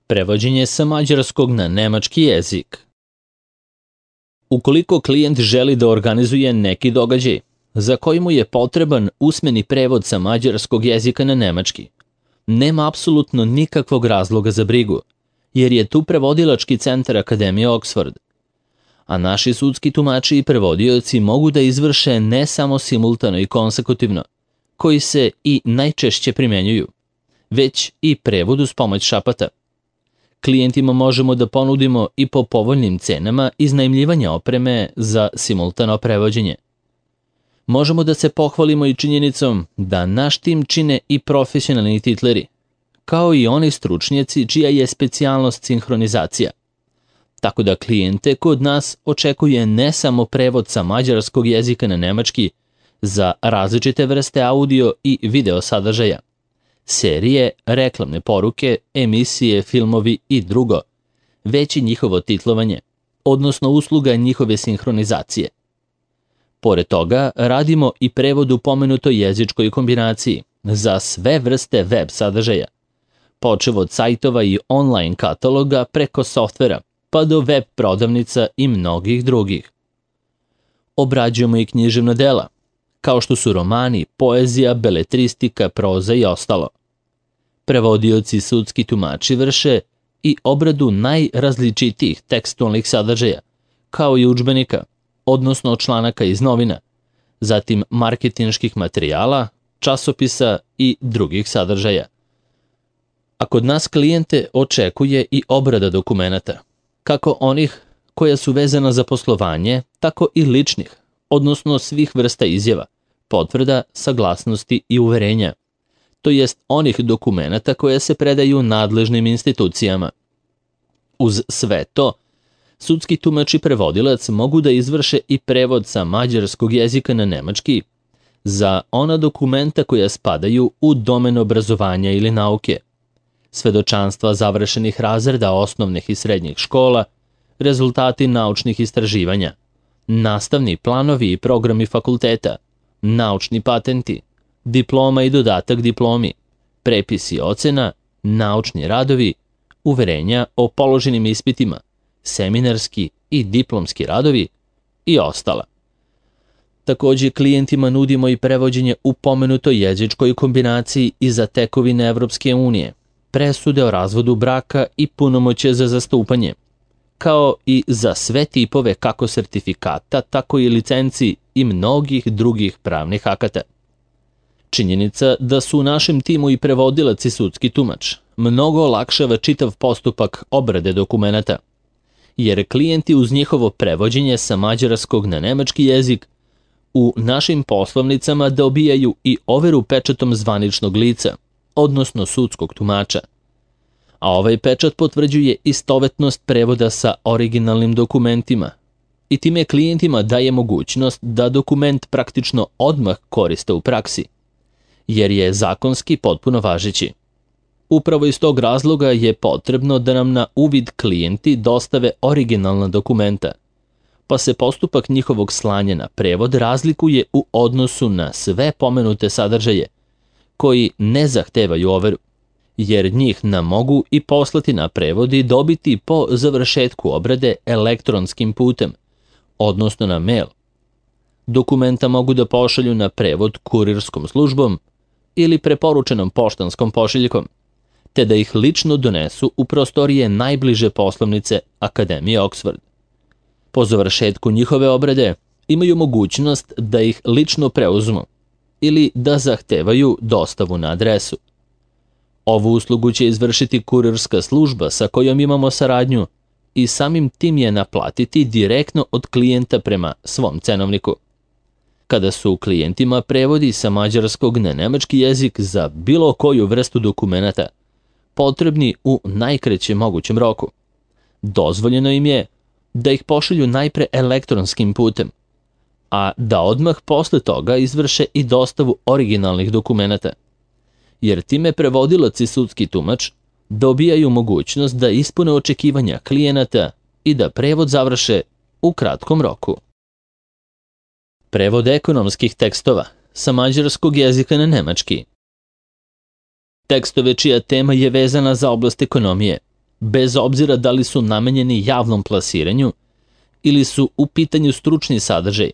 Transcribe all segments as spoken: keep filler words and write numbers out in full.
Prevođenje sa mađarskog na nemački jezik. Ukoliko klijent želi da organizuje neki događaj za koji mu je potreban usmeni prevod sa mađarskog jezika na nemački, nema apsolutno nikakvog razloga za brigu, jer je tu prevodilački centar Akademije Oxford. A naši sudski tumači i prevodioci mogu da izvrše ne samo simultano i konsekutivno, koji se i najčešće primenjuju, već i prevod uz pomoć šapata. Klijentima možemo da ponudimo i po povoljnim cenama iznajmljivanja opreme za simultano prevođenje. Možemo da se pohvalimo i činjenicom da naš tim čine i profesionalni titleri, kao i oni stručnjaci čija je specijalnost sinhronizacija. Tako da klijente kod nas očekuje ne samo prevod sa mađarskog jezika na nemački za različite vrste audio i video sadržaja, serije, reklamne poruke, emisije, filmovi i drugo, već i njihovo titlovanje, odnosno usluga njihove sinhronizacije. Pored toga, radimo i prevod u pomenutoj jezičkoj kombinaciji za sve vrste web sadržaja, počev od sajtova i online kataloga preko softvera, pa do web prodavnica i mnogih drugih. Obrađujemo i književna dela, kao što su romani, poezija, beletristika, proza i ostalo. Prevodioci i sudski tumači vrše i obradu najrazličitijih tekstualnih sadržaja, kao i udžbenika, odnosno članaka iz novina, zatim marketinških materijala, časopisa i drugih sadržaja. A kod nas klijente očekuje i obrada dokumenata, kako onih koja su vezana za poslovanje, tako i ličnih, odnosno svih vrsta izjava, potvrda, saglasnosti i uverenja, to jest onih dokumenata koje se predaju nadležnim institucijama. Uz sve to, sudski tumač i prevodilac mogu da izvrše i prevod sa mađarskog jezika na nemački za ona dokumenta koja spadaju u domen obrazovanja ili nauke, svedočanstva završenih razreda osnovnih i srednjih škola, rezultati naučnih istraživanja, nastavni planovi i programi fakulteta, naučni patenti, diploma i dodatak diplomi, prepisi ocena, naučni radovi, uverenja o položenim ispitima, seminarski i diplomski radovi i ostala. Takođe, klijentima nudimo i prevođenje u pomenutoj jezičkoj kombinaciji i za tekovine Evropske unije, presude o razvodu braka i punomoćje za zastupanje, kao i za sve tipove kako sertifikata, tako i licenci i mnogih drugih pravnih akata. Činjenica da su u našem timu i prevodilac i sudski tumač mnogo olakšava čitav postupak obrade dokumenata, jer klijenti uz njihovo prevođenje sa mađarskog na nemački jezik u našim poslovnicama dobijaju i overu pečatom zvaničnog lica, odnosno sudskog tumača. A ovaj pečat potvrđuje istovetnost prevoda sa originalnim dokumentima i time klijentima daje mogućnost da dokument praktično odmah koriste u praksi, jer je zakonski potpuno važeći. Upravo iz tog razloga je potrebno da nam na uvid klijenti dostave originalna dokumenta, pa se postupak njihovog slanja na prevod razlikuje u odnosu na sve pomenute sadržaje, koji ne zahtevaju overu, jer njih nam mogu i poslati na prevod i dobiti po završetku obrade elektronskim putem, odnosno na mail. Dokumenta mogu da pošalju na prevod kurirskom službom ili preporučenom poštanskom pošiljkom, te da ih lično donesu u prostorije najbliže poslovnice Akademije Oxford. Po završetku njihove obrade imaju mogućnost da ih lično preuzmu ili da zahtevaju dostavu na adresu. Ovu uslugu će izvršiti kurirska služba sa kojom imamo saradnju i samim tim je naplatiti direktno od klijenta prema svom cenovniku. Kada su klijentima prevodi sa mađarskog na nemački jezik za bilo koju vrstu dokumenata potrebni u najkraćem mogućem roku, dozvoljeno im je da ih pošalju najpre elektronskim putem, a da odmah posle toga izvrše i dostavu originalnih dokumenata, jer time prevodilac i sudski tumač dobijaju mogućnost da ispune očekivanja klijenata i da prevod završe u kratkom roku. Prevod ekonomskih tekstova sa mađarskog jezika na nemački. Tekstove čija tema je vezana za oblast ekonomije, bez obzira da li su namenjeni javnom plasiranju ili su u pitanju stručni sadržaj,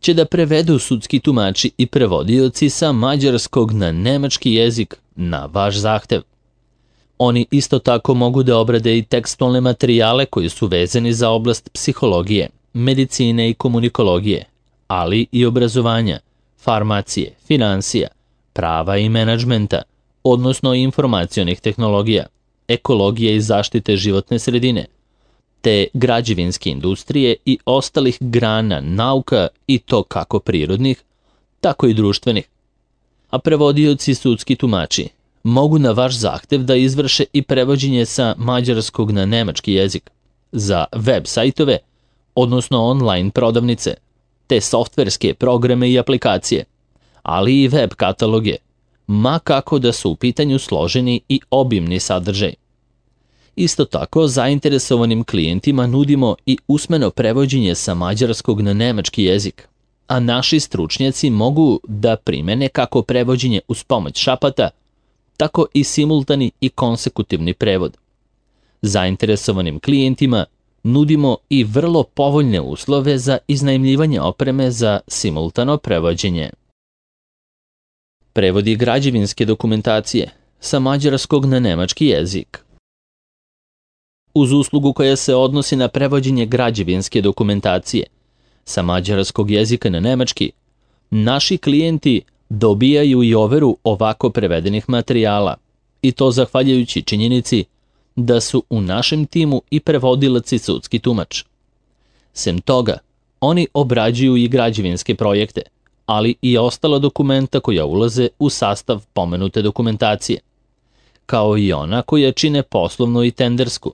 će da prevedu sudski tumači i prevodioci sa mađarskog na nemački jezik na vaš zahtev. Oni isto tako mogu da obrade i tekstualne materijale koji su vezani za oblast psihologije, medicine i komunikologije, ali i obrazovanja, farmacije, finansija, prava i menadžmenta, odnosno informacionih tehnologija, ekologije i zaštite životne sredine, te građevinske industrije i ostalih grana nauka i to kako prirodnih, tako i društvenih. A prevodioci sudski tumači mogu na vaš zahtev da izvrše i prevođenje sa mađarskog na nemački jezik za web sajtove, odnosno online prodavnice, te softverske programe i aplikacije, ali i web kataloge, ma kako da su u pitanju složeni i obimni sadržaj. Isto tako, zainteresovanim klijentima nudimo i usmeno prevođenje sa mađarskog na nemački jezik, a naši stručnjaci mogu da primene kako prevođenje uz pomoć šapata, tako i simultani i konsekutivni prevod. Zainteresovanim klijentima nudimo i vrlo povoljne uslove za iznajmljivanje opreme za simultano prevođenje. Prevodi građevinske dokumentacije sa mađarskog na nemački jezik. Uz uslugu koja se odnosi na prevođenje građevinske dokumentacije sa mađarskog jezika na nemački, naši klijenti dobijaju i overu ovako prevedenih materijala, i to zahvaljujući činjenici da su u našem timu i prevodilac i sudski tumač. Sem toga, oni obrađuju i građevinske projekte, ali i ostala dokumenta koja ulaze u sastav pomenute dokumentacije, kao i ona koja čine poslovnu i tendersku,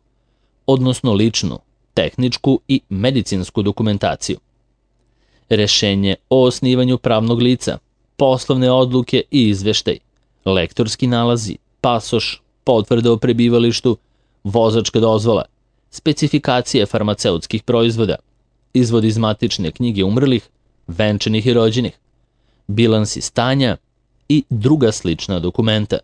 odnosno ličnu, tehničku i medicinsku dokumentaciju. Rešenje o osnivanju pravnog lica, poslovne odluke i izveštaj, lektorski nalazi, pasoš, potvrda o prebivalištu, vozačka dozvola, specifikacije farmaceutskih proizvoda, izvod iz matične knjige umrlih, venčanih i rođenih, bilansi stanja i druga slična dokumenta.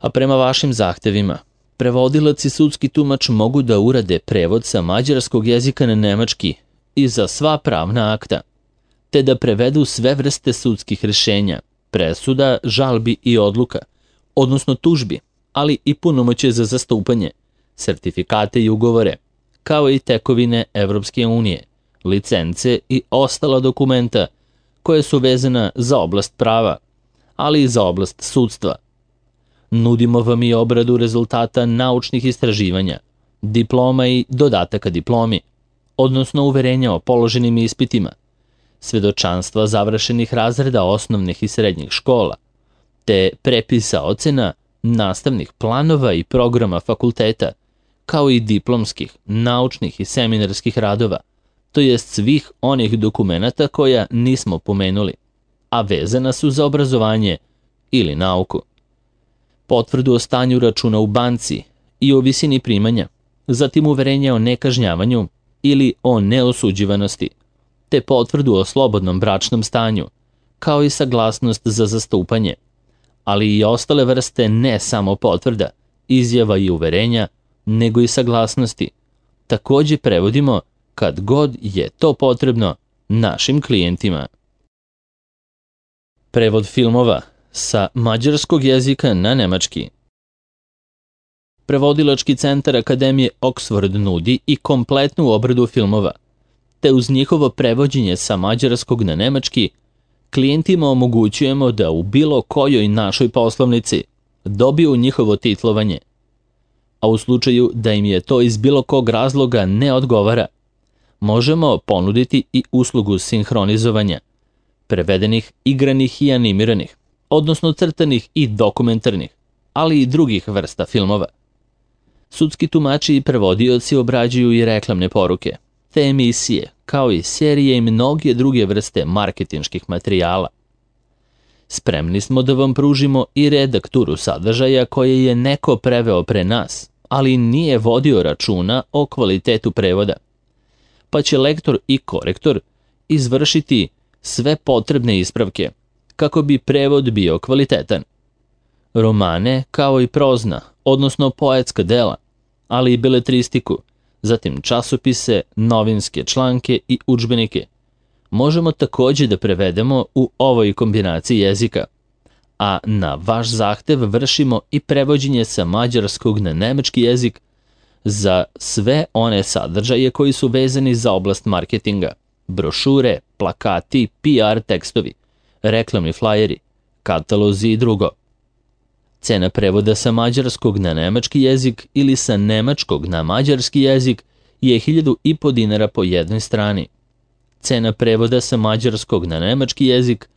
A prema vašim zahtevima, prevodilac i sudski tumač mogu da urade prevod sa mađarskog jezika na nemački i za sva pravna akta, te da prevedu sve vrste sudskih rešenja, presuda, žalbi i odluka, odnosno tužbi, ali i punomoćje za zastupanje, sertifikate i ugovore, kao i tekovine Evropske unije, licence i ostala dokumenta koje su vezana za oblast prava, ali i za oblast sudstva. Nudimo vam i obradu rezultata naučnih istraživanja, diploma i dodataka diplomi, odnosno uverenja o položenim ispitima, svedočanstva završenih razreda osnovnih i srednjih škola, te prepisa ocena, nastavnih planova i programa fakulteta, kao i diplomskih, naučnih i seminarskih radova, to jest svih onih dokumenata koja nismo pomenuli, a vezana su za obrazovanje ili nauku. Potvrdu o stanju računa u banci i o visini primanja, zatim uverenje o nekažnjavanju ili o neosuđivanosti, te potvrdu o slobodnom bračnom stanju, kao i saglasnost za zastupanje, ali i ostale vrste ne samo potvrda, izjava i uverenja, nego i saglasnosti. Takođe prevodimo kad god je to potrebno našim klijentima. Prevod filmova sa mađarskog jezika na nemački. Prevodilački centar Akademije Oxford nudi i kompletnu obradu filmova, te uz njihovo prevođenje sa mađarskog na nemački, klijentima omogućujemo da u bilo kojoj našoj poslovnici dobiju njihovo titlovanje, a u slučaju da im je to iz bilo kog razloga ne odgovara, možemo ponuditi i uslugu sinhronizovanja, prevedenih, igranih i animiranih, odnosno crtanih i dokumentarnih, ali i drugih vrsta filmova. Sudski tumači i prevodioci obrađuju i reklamne poruke, te emisije, kao i serije i mnoge druge vrste marketinških materijala. Spremni smo da vam pružimo i redakturu sadržaja koje je neko preveo pre nas, ali nije vodio računa o kvalitetu prevoda, pa će lektor i korektor izvršiti sve potrebne ispravke kako bi prevod bio kvalitetan. Romane, kao i prozna, odnosno poetska dela, ali i beletristiku, zatim časopise, novinske članke i udžbenike. Možemo takođe da prevedemo u ovoj kombinaciji jezika, a na vaš zahtev vršimo i prevođenje sa mađarskog na nemački jezik za sve one sadržaje koji su vezani za oblast marketinga, brošure, plakati, P R tekstovi, reklamni flajeri, katalozi i drugo. Cena prevoda sa mađarskog na nemački jezik ili sa nemačkog na mađarski jezik je hiljadu i po dinara po jednoj strani. Cena prevoda sa mađarskog na nemački jezik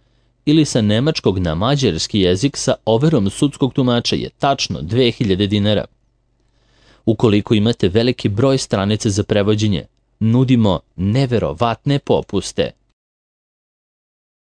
ili sa nemačkog na mađarski jezik sa overom sudskog tumača je tačno dve hiljade dinara. Ukoliko imate veliki broj stranica za prevođenje, nudimo neverovatne popuste.